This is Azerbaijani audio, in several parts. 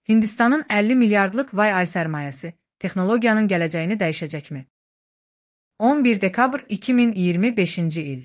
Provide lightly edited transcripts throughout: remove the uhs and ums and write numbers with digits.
Hindistanın 50 milyardlıq vay sərmayəsi texnologiyanın gələcəyini dəyişəcəkmi? 11 dekabr 2025-ci il.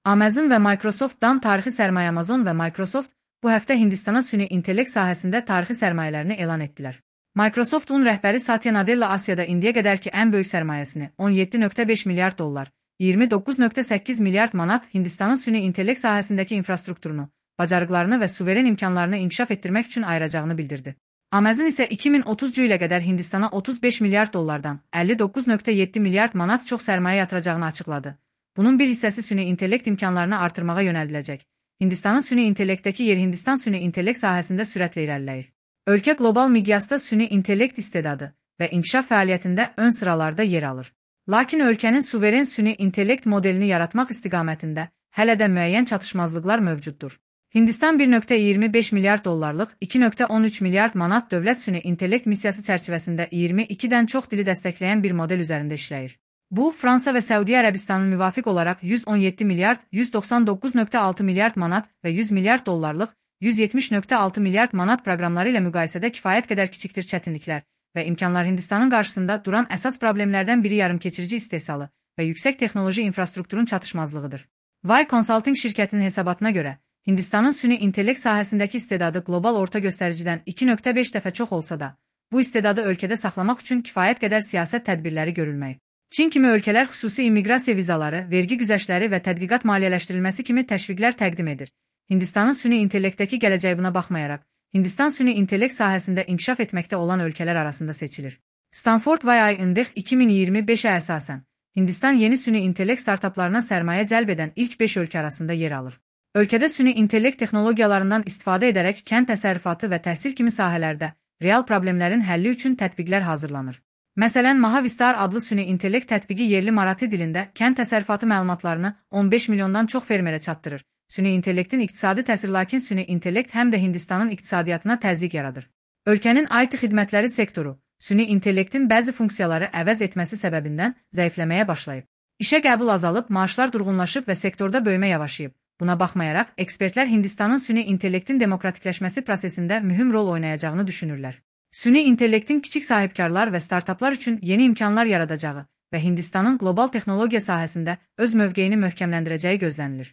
Amazon və Microsoft'dan tarixi sərmayə. Amazon və Microsoft bu həftə Hindistana süni intellekt sahəsində tarixi sərmayələrini elan etdilər. Microsoft'un rəhbəri Satya Nadella Asiyada indiyə qədərki ən böyük sərmayəsini 17,5 milyard dollar, 29,8 milyard manat Hindistanın süni intellekt sahəsindəki infrastrukturunu, bacarıqlarını və suveren imkanlarını inkişaf etdirmək üçün ayıracağını bildirdi. Amazon isə 2030-cu ilə qədər Hindistana 35 milyard dollardan 59,7 milyard manat çox sərmayə yatıracağını açıqladı. Bunun bir hissəsi süni intellekt imkanlarını artırmağa yönəldiləcək. Hindistanın süni intellektdəki yeri Hindistan süni intellekt sahəsində sürətlə irəliləyir. Ölkə qlobal miqyasda süni intellekt istedadı və inkişaf fəaliyyətində ön sıralarda yer alır. Lakin ölkənin suveren süni intellekt modelini yaratmaq istiqamətində hələ də müəyyən çatışmazlıqlar mövcuddur. Hindistan 1,25 milyard dollarlıq 2,13 milyard manat dövlət süni intellekt missiyası çərçivəsində 22-dən çox dili dəstəkləyən bir model üzərində işləyir. Bu, Fransa və Səudiyyə Ərəbistanının müvafiq olaraq 117 milyard, 199,6 milyard manat və 100 milyard dollarlıq 170,6 milyard manat proqramları ilə müqayisədə kifayət qədər kiçikdir. Çətinliklər və imkanlar Hindistanın qarşısında duran əsas problemlərdən biri yarımkeçirici istehsalı və yüksək texnoloji infrastrukturun çatışmazlığıdır. Vay Consulting şirkətinin hesabatına görə, Hindistanın süni intellekt sahəsindəki istedadı qlobal orta göstəricidən 2,5 dəfə çox olsa da, bu istedadı ölkədə saxlamaq üçün kifayət qədər siyasət tədbirləri görülməyib. Çin kimi ölkələr xüsusi immiqrasiya vizaları, vergi güzəştləri və tədqiqat maliyyələşdirilməsi kimi təşviqlər təqdim edir. Hindistanın süni intellektdəki gələcəyi buna baxmayaraq, Hindistan süni intellekt sahəsində inkişaf etməkdə olan ölkələr arasında seçilir. Stanford YI Index 2025-ə əsasən, Hindistan yeni süni intellekt startaplarına sərmayə cəlb edən ilk 5 ölkə arasında yer alır. Ölkədə süni intellekt texnologiyalarından istifadə edərək kənd təsərrüfatı və təhsil kimi sahələrdə real problemlərin həlli üçün tətbiqlər hazırlanır. Məsələn, Mahavistar adlı süni intellekt tətbiqi yerli Marathi dilində kənd təsərrüfatı məlumatlarını 15 milyondan çox fermerə çatdırır. Süni intellektin iqtisadi təsiri. Lakin süni intellekt həm də Hindistanın iqtisadiyyatına təzyiq yaradır. Ölkənin IT xidmətləri sektoru süni intellektin bəzi funksiyaları əvəz etməsi səbəbindən zəifləməyə başlayıb. İşə qəbul azalıb, maaşlar durğunlaşıb və sektorda böyümə yavaşıyıb. Buna baxmayaraq, ekspertlər Hindistanın süni intellektin demokratikləşməsi prosesində mühüm rol oynayacağını düşünürlər. Süni intellektin kiçik sahibkarlar və startaplar üçün yeni imkanlar yaradacağı və Hindistanın qlobal texnologiya sahəsində öz mövqeyini möhkəmləndirəcəyi gözlənilir.